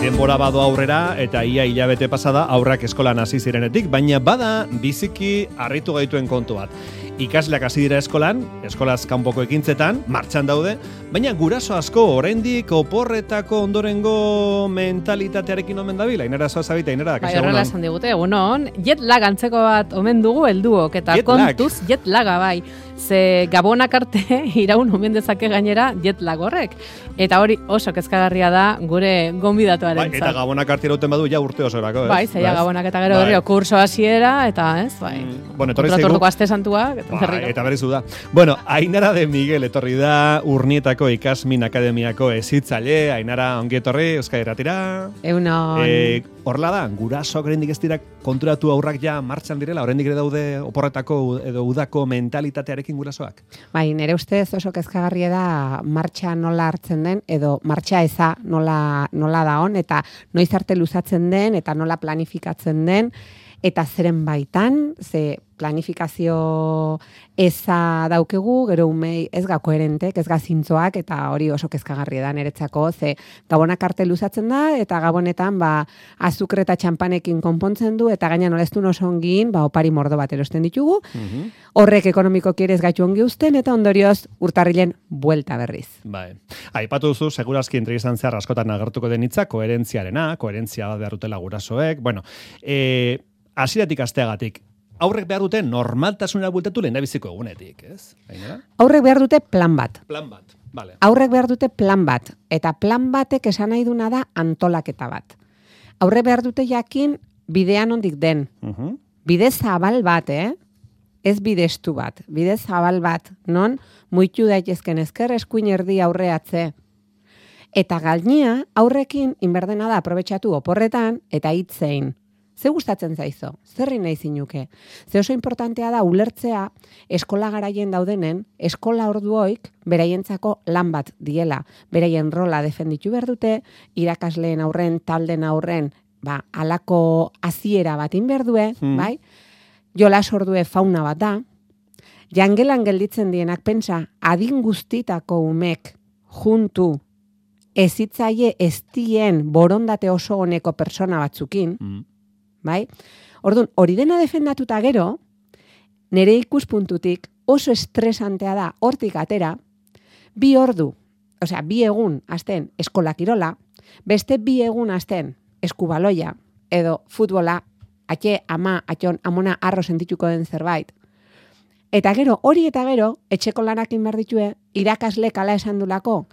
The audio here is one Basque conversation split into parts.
Denbora bado aurrera eta ia hilabete pasada aurrak eskolan hasi zirenetik, baina bada biziki harritu gaituen kontu bat. Ikasleak hasi dira eskolan, eskolaz kanpoko ekintzetan, martxan daude, baina guraso asko oraindik oporretako ondorengo mentalitatearekin omen dabil. Ainara zoazabita, Ainara. Bai, horrela esan digute, egunon, jet lag antzeko bat omen dugu helduok, eta kontuz jet laga bai. Ze gabonak arte iraun omen dezake gainera jet lag horrek. Eta hori oso kezkagarria da gure gonbidatuaren zat. Bai, eta gabonak arte irauten badu ja urte osorako, ez? Bai, zeia gabonak eta gero berrio kurso hasiera, eta ez, bai. Bueno, etorri zaigu. Orduko aste santuak, eta berrizu da. Bueno, Ainara de Miguel etorri da Urnietako Ikasmin Akademiako hezitzaile. Ainara, ongi etorri, Euskadi Irratira. Egunon. Horrela da, gurasoak oraindik ez dira konturatu aurrak ja martxan direla, oraindik ere daude oporretako edo udako mentalitatearekin gurasoak. Bai, nire ustez oso kezkagarria da martxa nola hartzen den, edo martxa eza nola da on, eta noiz arte luzatzen den, eta nola planifikatzen den, eta zeren baitan, ze planifikazio eza daukegu, gero umei ez ga koherentek, ez ga zintzoak, eta hori oso kezkagarria da niretzako, ze gabonak arte luzatzen da, eta gabonetan azukre eta txampanekin konpontzen du, eta gaina noleztun oso ongin, opari mordo bat erosten ditugu, horrek ekonomikoki ere ez gaitu ongi uzten, eta ondorioz urtarrilen buelta berriz. Bai. Aipatu duzu, segurazki entrevistan zehar askotan agertuko den hitza, koherentzia bat behar dutela gurasoek, bueno, hasieratik asteagatik, aurrek behar dute normaltasunera bueltatu lehendabiziko egunetik, ez? Ainara? Aurrek behar dute plan bat. Plan bat, vale. Aurrek behar dute plan bat, eta plan batek esan nahi duna da antolaketa bat. Aurrek behar dute jakin bidean ondik den. Bide zabal bat, ez bidestu bat. Bide zabal bat, non muitu daitezken ezker eskuin erdi aurreatze. Eta galnia aurrekin inberdena da aprobetxatu oporretan eta hitzein. Ze gustatzen zaizo? Zerri nahi zinuke? Ze oso importantea da ulertzea eskola garaien daudenen, eskola orduoik beraientzako lan bat diela. Beraien rola defenditu behar dute, irakasleen aurren, talden aurren, alako hasiera bat inberdue, bai? Jolas ordue fauna bat da. Jangelan gelditzen dienak pentsa, adin guztitako umek juntu ezitzaile eztien borondate oso honeko persona batzukin, bai? Orduan, hori dena defendatuta gero, nire ikuspuntutik oso estresantea da hortik atera, bi egun azten eskola kirola, beste bi egun azten eskubaloia, edo futbola, atxon, amona arro sentituko den zerbait. Eta gero, hori eta gero, etxeko lanakin behar ditue, irakasle kala esan dulako,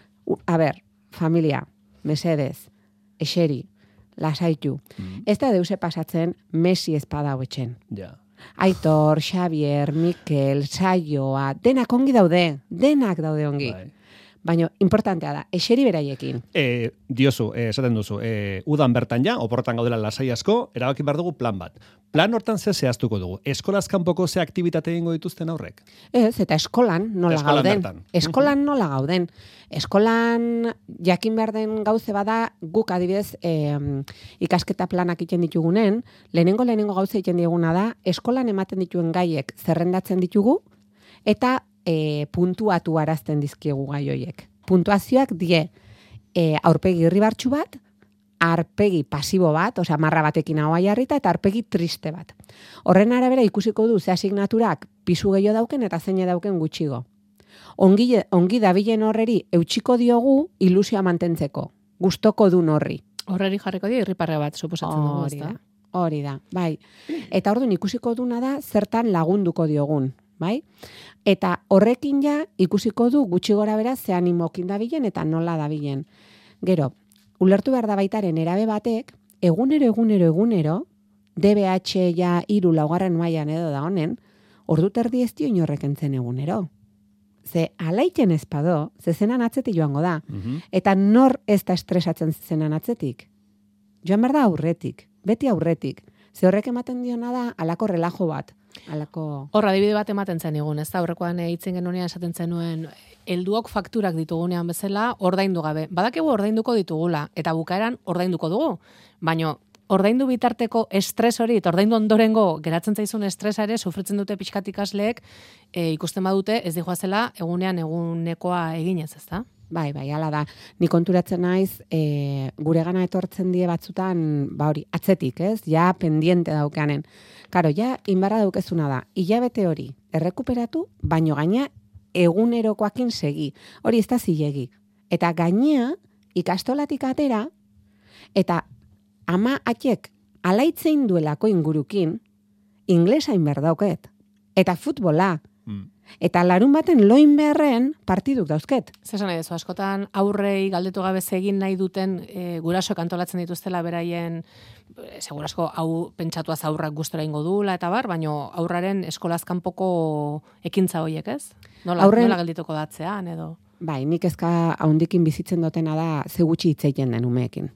familia, mesedez, eseri, lasaitu. Ez da deuse pasatzen Messi espada hauetxen. Ja. Aitor, Xavier, Mikel, Saioa, denak ongi daude, denak daude ongi. Bai. Baina, importantea da, eseri beraiekin. Diozu, esaten duzu, udan bertan ja, oporretan gaudela lasai asko, erabaki behar dugu plan bat. Plan hortan ze zehaztuko dugu? Eskolaz kanpoko ze aktibitate egingo dituzten aurrek? Ez, eta eskolan nola gauden. Eskolan nola gauden. Eskolan jakin behar den gauze bada, guk adibidez ikasketa planak iten ditugunen, lehenengo gauze iten diguna da, eskolan ematen dituen gaiek zerrendatzen ditugu, eta puntuatu arazten dizkiegu gai hoiek. Puntuazioak die aurpegi irribartsu bat, arpegi pasibo bat, osea marra batekin ahoa jarrita, eta arpegi triste bat. Horren arabera ikusiko du ze asignaturak pisu gehiago dauken eta zeine dauken gutxigo. Ongi dabilen horreri eutxiko diogu ilusioa mantentzeko. Gustoko dun horri. Horreri jarriko di irriparre bat suposatzen dugu, ezta? Hori da, bai. Eta orduan ikusiko duna da zertan lagunduko diogun. Bai? Eta horrekin ja ikusiko du gutxi gora bera ze animokin dabilen eta nola dabilen. Gero, ulertu behar da baitaren erabe batek, egunero, DBH ja 3 laugarren mailan edo da honen, ordu terdi ez dio inorrek entzen egunero. Ze alaiten ezpado, ze zenan atzetik joango da. Eta nor ez da estresatzen zenan atzetik. Joan behar da aurretik, beti aurretik. Ze horrek ematen diona da alako relajo bat. Horra, adibide bat ematen zen egun, ez da, horrekoan hitzen genunean esaten zenuen, helduok fakturak ditugunean bezala, ordaindu gabe. Badakigu ordainduko ditugula, eta bukaeran ordainduko dugu. Baina, ordaindu bitarteko estres hori, eta ordaindu ondorengo geratzen zaizun estresa ere, sufritzen dute pixkat ikasleek, ikusten badute, ez dijoazela, egunean egunekoa eginez, ez da? Bai, hala da. Ni konturatzen naiz, gure gana etortzen die batzutan, hori, atzetik, ez? Ja, pendiente daukanen. Karo, ja, inbarra daukezuna da. Hilabete hori, errekuperatu, baino gaina egunerokoakin segi. Hori ez da zilegi. Eta gainea, ikastolatik atera, eta ama atxek alaitzein duelako ingurukin, inglesa inberdauket. Eta futbola. Eta larun baten loin beharren partiduk dauzket. Zesan nahi dezu, askotan aurrei galdetu gabe egin nahi duten gurasoek antolatzen dituztela beraien, segurasko hau pentsatuaz aurrak gustora ingo dula eta bar, baino aurraren eskolaz kanpoko ekintza horiek, ez? Nola geldituko datzean edo? Bai, nik ezka haundikin bizitzen dutena da ze gutxi hitzeiten den umeekin.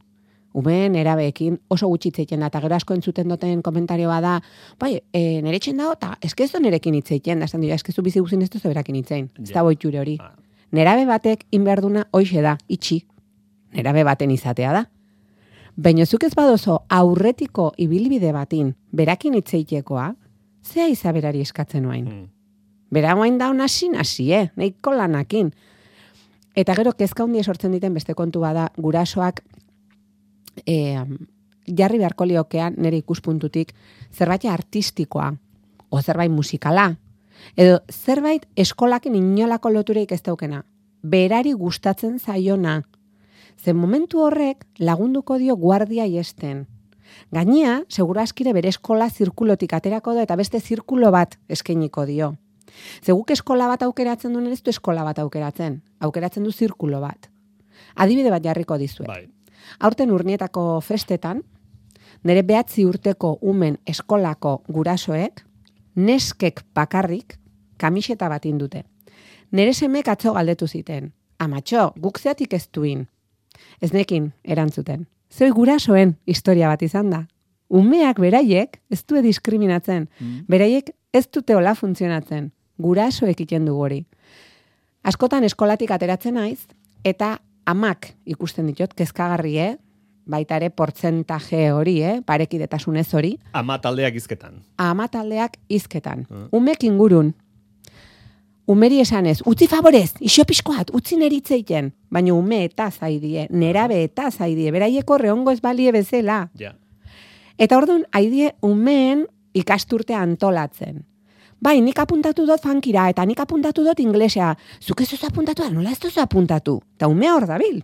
Umeen erabeekin oso gutxi hitzeiten da, eta gero asko entzuten duten komentarioa da, bai, nere etxen dago, eta eskezo nerekin hitzeiten da, esan dira, eskezu bizi guzin ez duzu berakin hitzein, ez da boitxure hori. Nerabe batek inberduna hoixe da, itxi, nerabe baten izatea da. Baina zuk ez badozo aurretiko ibilbide batin berakin hitzeitekoa, zea izaberari eskatzen nuain. Bera guain da hasi, nahiko lanakin. Eta gero kezka hundi sortzen diten beste kontu bada gurasoak jarri beharko liokean nire ikuspuntutik zerbait artistikoa, o zerbait musikala, edo zerbait eskolakin inolako lotureik ez daukena, berari gustatzen zaiona. Zen momentu horrek lagunduko dio guardia iesten. Gainea, segura askire bere eskola zirkulotik aterako da eta beste zirkulo bat eskainiko dio. Zeguk eskola bat aukeratzen duen ez du eskola bat aukeratzen du zirkulo bat. Adibide bat jarriko dizuet. Bai. Aurten Urnietako festetan, nire 9 urteko umen eskolako gurasoek, neskek bakarrik kamiseta bat indute. Nire semek atzo galdetu ziten. Amatxo, guk zeatik ez duin. Ez nekin erantzuten. Zoi gurasoen historia bat izan da. Umeak beraiek ez du diskriminatzen. Beraiek ez dute hola funtzionatzen. Gurasoek iten du hori. Askotan eskolatik ateratzen naiz, eta amak ikusten ditut, kezkagarri, baita ere portzentaje hori, parekidetasunez hori. Ama taldeak hizketan. Ama taldeak hizketan. Umek ingurun. Umeri esanez, utzi favorez, isopiskoat, utzi neritzeiten. Baina ume eta zaidie, nerabe eta zaidie, beraieko rehongo ez balie bezala. Ja. Eta orduan, haidie umeen ikasturtea antolatzen. Bai, nik apuntatu dut funkira, eta nik apuntatu dut inglesea. Zuk ez duzu apuntatu da, nola ez duzu apuntatu? Ta umea hor dabil.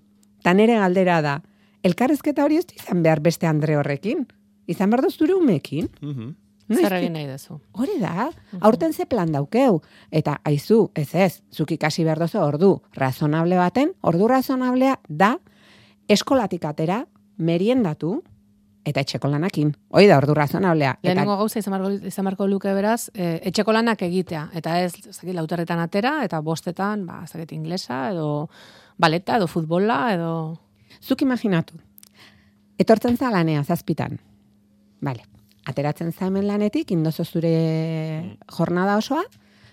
Ta nere galdera da. Elkarrezketa hori ez izan behar beste Andre horrekin. Izan behar dut zure umeekin. Zer egin nahi dezu. Hori da, aurten ze plan daukeu. Eta aizu, ez, zuk ikasi behar duzu ordu razonable baten, ordu razonablea da eskolatik atera, meriendatu, eta etxeko lanakin. Hoi da, ordu razonablea. Lehenengo gauza izan marko luke beraz, etxeko lanak egitea. Eta ez, lauterretan atera, eta bostetan, inglesa, edo baleta, edo futbola, edo... Zuk imaginatu. Etortzen za lanea, 7. Vale. Ateratzen za hemen lanetik, indozo zure jornada osoa,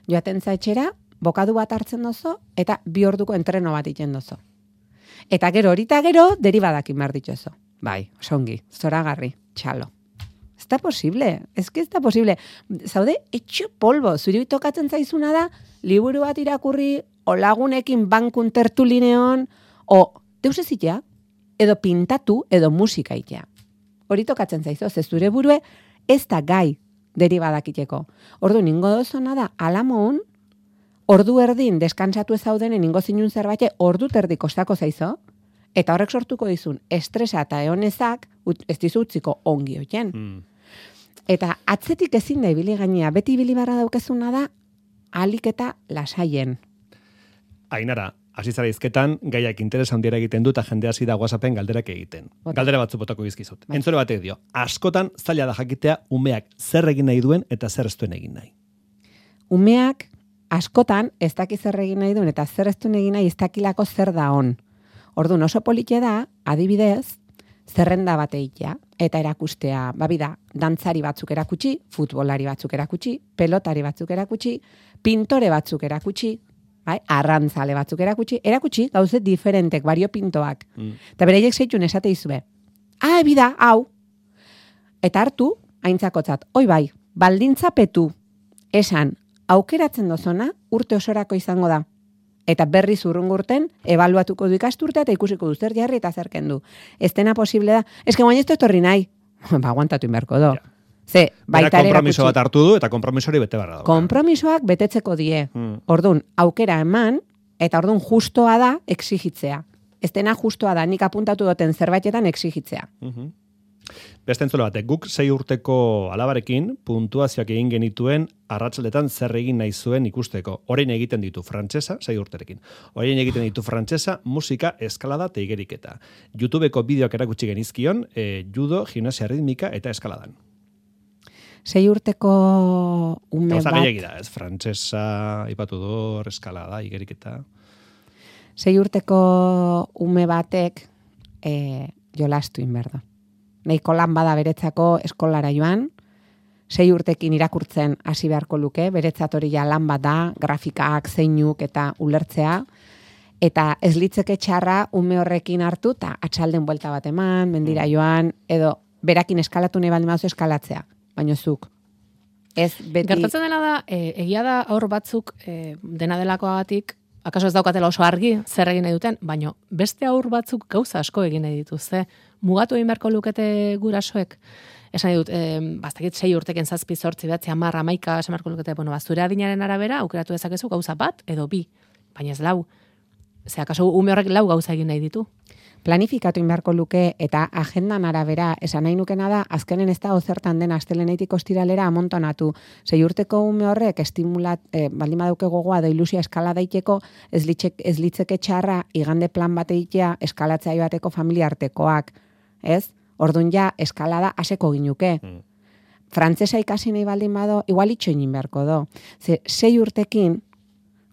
joaten za etxera, bokadu bat hartzen dozo, eta 2 orduko entreno bat iten dozo. Eta gero, deribadak inbar dituzo. Bai, osongi, zoragarri, txalo. Ez da posible, ez da posible. Zaude, etxo polbo, zuri tokatzen zaizuna da, liburu bat irakurri, o lagunekin bankun tertulineon, o deus ezitea, edo pintatu, edo musika itea. Hori tokatzen zaizo, ze zure burue, ez da gai deribadak iteko. Ordu, ningo dozona da, alamoun, ordu erdin deskansatu ez zaudenen ningo zinun zerbait, ordu terdi kostako zaizo, eta horrek sortuko dizun estresa eta eonezak ez dizu utziko ongi oien. Eta atzetik ezin da ibili gainea, beti ibili barra daukezuna da alik eta lasaien. Ainara, hasi zara hizketan, gaiak interesa handiera egiten du eta jende hasi da WhatsAppen galderak egiten. Galdera batzu botako bizkizut. Entzule batek dio, askotan zaila da jakitea umeak zer egin nahi duen eta zer ez duen egin nahi. Umeak askotan ez daki zer egin nahi duen eta zer ez duen egin nahi ez dakilako zer da on. Orduan oso polite da, adibidez, zerrenda bat egitea, eta erakustea, babida, dantzari batzuk erakutsi, futbolari batzuk erakutsi, pelotari batzuk erakutsi, pintore batzuk erakutsi, bai, arrantzale batzuk erakutsi, gauze diferentek, variopintoak. Eta bereiek zeitun esate izue. Bida, hau. Eta hartu, aintzakotzat, oi bai, baldintzapetu, esan, aukeratzen dozona, urte osorako izango da. Eta berriz urrungurten, ebaluatuko du ikasturtea eta ikusiko du zer jarri eta zer kendu. Ez dena posible da. Ez que guain ez etorri nahi. Ba, aguantatu inberko do. Ze, baita ere konpromiso bat hartu du eta konpromisori bete barra da. Konpromisoak betetzeko die. Ordun, aukera eman, eta ordun justoa da exigitzea. Ez dena justoa da, nik apuntatu duten zerbaitetan exigitzea. Beste entzule batek, guk 6 urteko alabarekin puntuazioak egin genituen arratsaldetan zer egin nahi zuen ikusteko. Orain egiten ditu frantsesa, 6 urterekin. Orain egiten ditu frantsesa, musika, eskalada eta igeriketa. YouTubeko bideoak erakutsi genizkion, judo, gimnasia ritmika eta eskaladan. 6 urteko ume Gauza bat... gehiagira, ez? Frantsesa, ipatu du, eskalada, igeriketa... 6 urteko ume batek jolastu inberdo. Nahiko lan bada beretzako eskolara joan, 6 urtekin irakurtzen hasi beharko luke, beretzat hori ja lan bat da, grafikaak, zeinuk eta ulertzea, eta ez litzeke txarra ume horrekin hartu, eta atxalden buelta bat eman, mendira joan, edo berakin eskalatu nahi baldin baduzu eskalatzea, baino zuk. Ez beti... Gertatzen dena da, egia da aur batzuk dena delakoagatik, akaso ez daukatela oso argi zer egin nahi duten, baino beste aur batzuk gauza asko egin nahi dituzte. Mugatu egin beharko lukete gurasoek. Esan dut, bastakit 6 urteken 7, 8, 9, 10, 11, esan beharko lukete, zure adinaren arabera, aukeratu dezakezu gauza bat edo 2, baina ez 4. Ze akaso ume horrek 4 gauza egin nahi ditu. Planifikatu inbeharko luke eta agendan arabera esan nahi nukena da, azkenen ez da ozertan den astelenetik ostiralera amontonatu. 6 urteko ume horrek baldin badauke gogoa da ilusia eskala daiteko, ez litzeke txarra igande plan bat egitea eskalatzea joateko familia artekoak. Ez? Ordun ja eskalada haseko ginuke. Frantsesa ikasi nahi baldin bado, igual itxoin beharko do. Ze 6 urtekin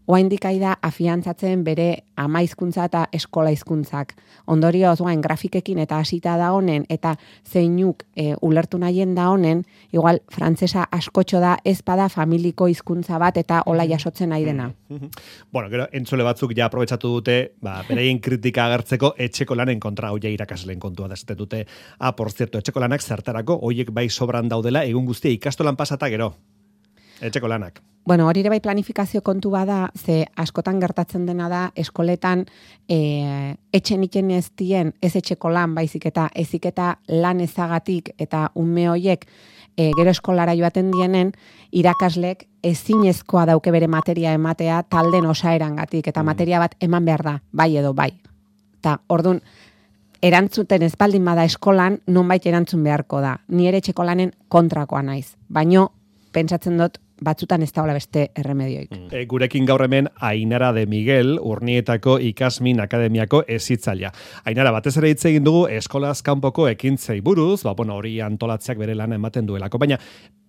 oraindik da afiantzatzen bere ama hizkuntza eta eskola hizkuntzak. Ondorioz, grafikekin eta hasita da honen, eta zeinuk ulertu nahien da honen, igual frantsesa askotxo da ez bada familiko hizkuntza bat eta hola jasotzen nahi dena. Bueno, gero, entzule batzuk ja aprobetsatu dute, beraien kritika agertzeko etxeko lanen kontra, hoia irakasleen kontua da dute. Por cierto, etxeko lanak zertarako, hoiek bai sobran daudela, egun guztia ikastolan pasata gero. Etxeko lanak. Bueno, hori ere bai planifikazio kontu bada, ze askotan gertatzen dena da eskoletan etxen iken ez dien ez etxeko lan baizik eta eziketa lan ezagatik eta ume hoiek gero eskolara joaten dienen irakaslek ezinezkoa dauke bere materia ematea talden osaerangatik eta materia bat eman behar da, bai edo bai. Eta ordun erantzuten ez baldin bada eskolan nonbait erantzun beharko da. Ni ere etxeko lanen kontrakoa naiz, baino pentsatzen dut batzutan ez daula beste erremedioik. Gurekin gaur hemen Ainara de Miguel, Urnietako Ikasmin Akademiako hezitzailea. Ainara, batez ere hitz egin dugu eskolaz kanpoko ekintzei buruz, hori antolatzeak bere lana ematen duelako, baina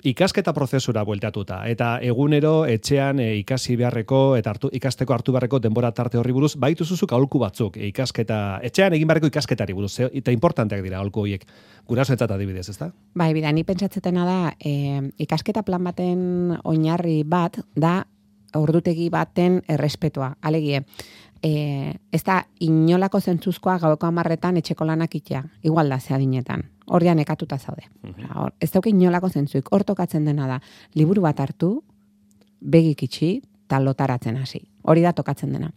ikasketa prozesura bueltatuta, eta egunero etxean ikasi beharreko eta ikasteko hartu beharreko denbora tarte horri buruz, baitu zuzuk aholku batzuk, etxean egin beharreko ikasketari buruz, eta importanteak dira aholku horiek, gurasoentzat adibidez, ezta? Bai, bida, ni pentsatzetena da, ikasketa plan baten oinarri bat da ordutegi baten errespetua. Alegie, ez da inolako zentzuzkoa gaueko 10etan etxeko lanak itea, igual da zehadinetan. Horrean ekatuta zaude. Ez dauke inolako zentzuik, hor tokatzen dena da, liburu bat hartu, begik itxi, eta lotaratzen hasi. Hori da tokatzen dena.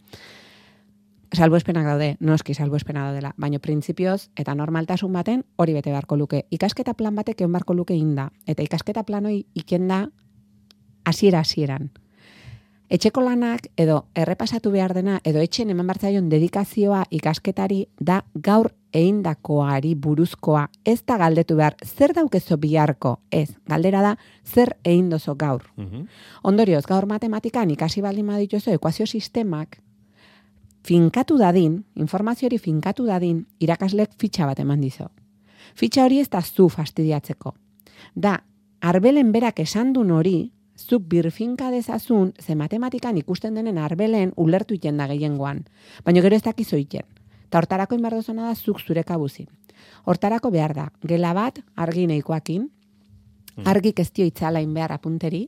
Salbuespenak daude, noski salbuespena daudela, baina printzipioz eta normaltasun baten hori bete beharko luke. Ikasketa plan batek egon beharko luke inda, eta ikasketa plan hori ikenda hasieran. Etxeko lanak edo errepasatu behar dena edo etxen eman bartzaion dedikazioa ikasketari da gaur eindakoari buruzkoa. Ez da galdetu behar, zer daukezo biharko? Ez, galdera da, zer eindozo gaur. Ondorioz, gaur matematikan ikasi baldin badituzu ekuazio sistemak, finkatu dadin, informazio hori finkatu dadin, irakaslek fitxa bat eman dizo. Fitxa hori ez da zu fastidiatzeko. Da, arbelen berak esan duen hori, zuk birfinka dezazun, ze matematikan ikusten denen arbelen ulertu iten da gehiengoan. Baina gero ez dakizu iten. Eta hortarako inberdozona da zuk zure kabuzin. Hortarako behar da, gela bat argi nahikoakin, argik ez dio itzalain behar apunteri,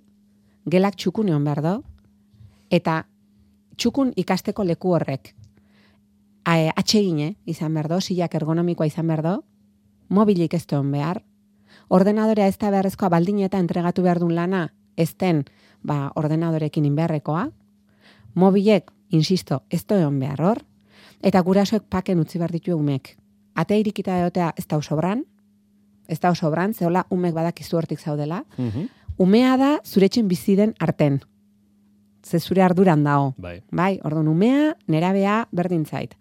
gelak txukun egon behar do, eta txukun ikasteko leku horrek. Atsegine izan behar do, silak ergonomikoa izan behar do, mobilik ez duen behar, ordenadorea ez da beharrezkoa baldin eta entregatu behar duen lana, ez den ordenadorekin inbeharrekoa, mobilek insisto, ez da egon behar hor, eta gurasoek paken utzi behar ditu umek. Atea irikita egotea ez da sobran, zehola umek badakizu hortik zaudela. Umea da zuretxen bizi den arten. Ze zure arduran dao. Bai, orduan umea, nerabea, berdin zait.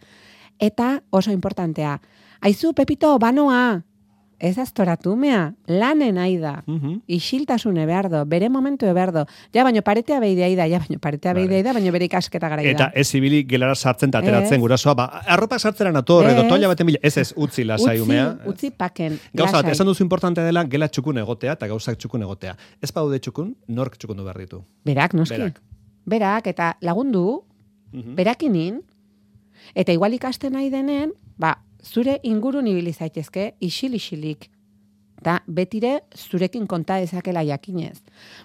Eta oso importantea, aizu, Pepito, banoa, ez aztoratu umea, lanen aida, isiltasune behar do, bere momentu behar do, baino paretea beidea da, baino bere ikasketa gara Eta ez ibili gelara sartzen eta ateratzen gurasoa, arropa sartzera nator, edo toalla baten bila, ez, utzi lasai umea. Utzi paken, Gauza bat, esan duzu importantea dela, gela txukun egotea, eta gauzak txukun egotea. Ez paude txukun, nork txukundu behar ditu. Berak, noski. Berak, eta lagundu, berakinin, eta igual ikasten nahi denen, zure ingurun ibili zaitezke, isil-isilik. Da, betire zurekin konta dezakela jakinez.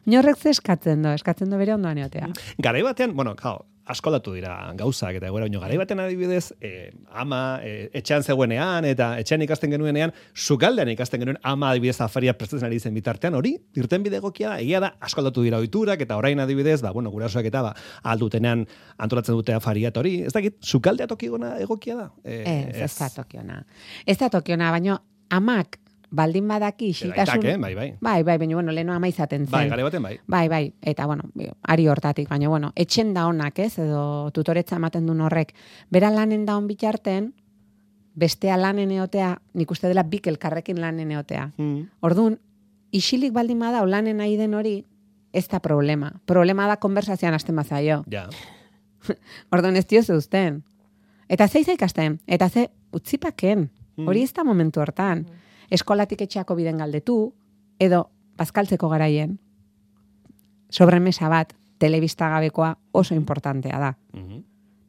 Horrek ze eskatzen do bere ondoan egotea. Garai batean, askoldatu dira gauzak, eta egoera, garai batean adibidez, ama etxean zegoenean, eta etxean ikasten genuenean, sukaldean ikasten genuen ama adibidez afaria prestatzen ari zen bitartean, hori, irten bide egokia da, egia da, askoldatu dira ohiturak, eta orain adibidez, gurasoak eta aldutenean antolatzen dute afaria, eta hori, ez dakit, sukaldea tokigona egokia da? Ez da tokiona. Ez da tokiona, baina amak baldin badaki isiltasun... Bai, baina, leheno ama izaten zen. Bai, gare baten bai. Eta, ari hortatik, baina, etxen da honak, ez, edo tutoretza ematen duen horrek, bera lanen da hon bitarten, bestea lanen eotea, nik uste dela bik elkarrekin lanen eotea. Orduan, isilik baldin bada, lanen nahi den hori, ez da problema. Problema da konversazioan hasten bazaio. Ja. Orduan, ez dio zeuzten. Eta ze ikasten, eta ze utzipaken, hori ez da momentu hortan. Eskolatik etxeako biden galdetu, edo bazkaltzeko garaien, sobremesa bat, telebista gabekoa oso importantea da.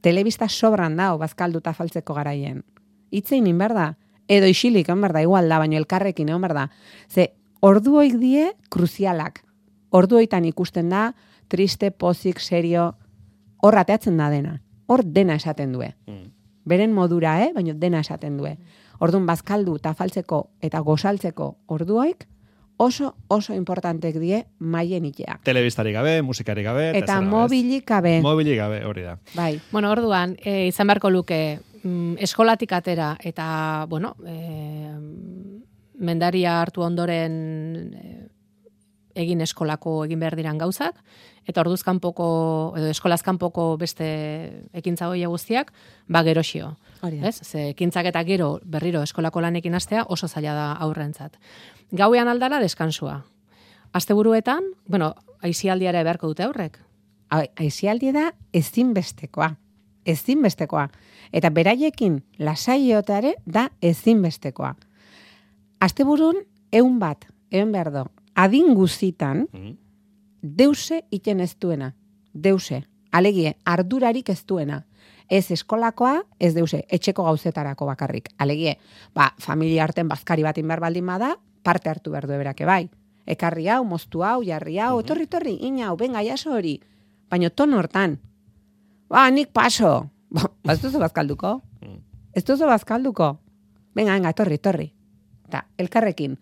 Telebista sobran dao bazkalduta faltzeko garaien. Itzein inberda, edo isilik inberda, igual da, baino elkarrekin inberda. Ze, orduoik die kruzialak. Orduoitan ikusten da, triste, pozik, serio, hor ateatzen da dena. Hor dena esaten due. Beren modura, baino dena esaten due. Orduan bazkaldu eta faltzeko eta gozaltzeko orduoik oso importantek die maien itea. Telebistari gabe, musikari gabe. Eta mobilik gabe. Mobilik gabe, hori da. Bai. Orduan, izan beharko luke eskolatik atera eta, mendaria hartu ondoren egin behar diran gauzak, eta orduz kanpoko edo eskolaz kanpoko beste ekintza hoia guztiak, geroxio. Ez? Ze ekintzak eta gero berriro eskolako lanekin hastea oso zaila da aurrentzat. Gauean aldala deskansua. Asteburuetan, aisialdiara beharko dute aurrek. Aisialdi da ezinbestekoa. Eta beraiekin lasaioteare da ezinbestekoa. Asteburun 100 bat, egon behar do. Adin guzitan, deuse iten ez duena. Deuse. Alegie, ardurarik ez duena. Ez eskolakoa, ez deuse, etxeko gauzetarako bakarrik. Alegie, familia arten bazkari bat inbar baldin bada, parte hartu behar du eberake bai. Ekarri hau, moztu hau, jarri hau, torri, ina hau, benga, jaso hori. Baina ton hortan, nik paso. Ez duzu bazkalduko? Ez duzu bazkalduko? Benga, torri. Eta, elkarrekin.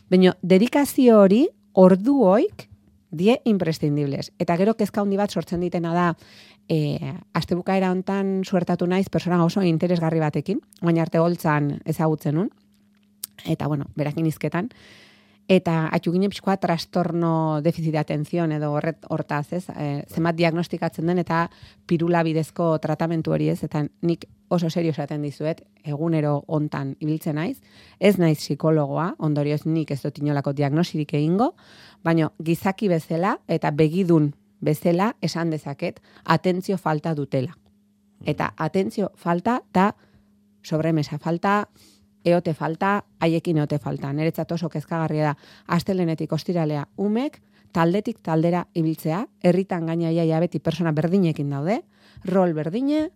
Baina, dedikazio hori, orduoik, die imprescindibles. Eta gero kezka handi bat sortzen ditena da, astebukaera hontan suertatu naiz persona oso interesgarri batekin, baina arte holtzan ezagutzen nun, eta berakin izketan, eta atxuginen pixkoa trastorno deficit de atención edo hortaz, ez, zenbat diagnostikatzen den eta pirula bidezko tratamentu hori ez, eta nik oso serio esaten dizuet, egunero hontan ibiltzen naiz, ez naiz psikologoa, ondorioz nik ez dut inolako diagnosirik egingo, baina gizaki bezala eta begidun bezala esan dezaket atentzio falta dutela. Eta atentzio falta da sobremesa falta, eote falta, haiekin eote falta. Niretzat oso kezkagarria da, astelenetik ostiralea umek, taldetik taldera ibiltzea, herritan gaina iaia beti persona berdinekin daude, rol berdine,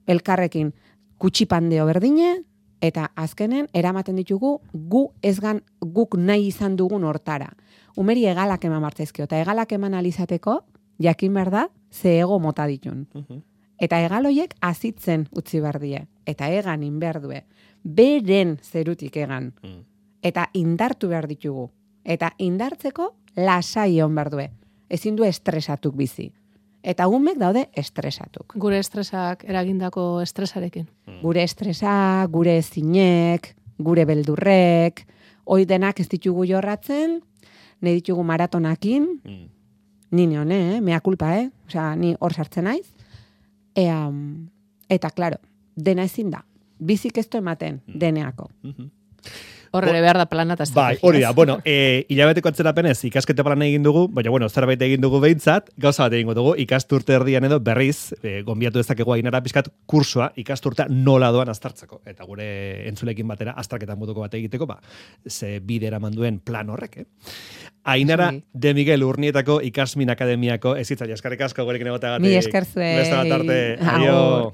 elkarrekin kutsipandeo berdine, eta azkenen eramaten ditugu guk nahi izan dugun hortara. Umeri egalak eman martzaizkio, eta egalak eman alizateko, jakin behar da, ze ego mota ditun. Eta egaloiek azitzen utzi behar die, eta egan inbehar due. Beren zerutik egan. Eta indartu behar ditugu. Eta indartzeko lasai hon behar due. Ezin du estresatuk bizi. Eta umek daude estresatuk. Gure estresak eragindako estresarekin. Gure estresa, gure ezinek, gure beldurrek, hoi denak ez ditugu jorratzen, nahi ditugu maratonakin, ni neone, mea kulpa, Osea, ni hor sartzen naiz. Eta, klaro, dena ezin da. Bizik ez du ematen, deneako. Horre behar da plana eta Bai, hori da, bueno, hilabeteko atzerapenez ikaskete plana egin dugu, baina, bueno, zerbait egin dugu behintzat, gauza bat egingo dugu, ikasturte erdian edo berriz, gonbiatu dezakegu Ainara pizkat kursua ikasturtea nola doan aztartzeko. Eta gure entzulekin batera, aztarketan moduko bat egiteko, ze bidera manduen plan horrek, Ainara de Miguel Urnietako Ikasmin Akademiako ezitzaile eskerrik asko gurekin egoteagatik. Mi esker zuei. Beste bat arte. Aio.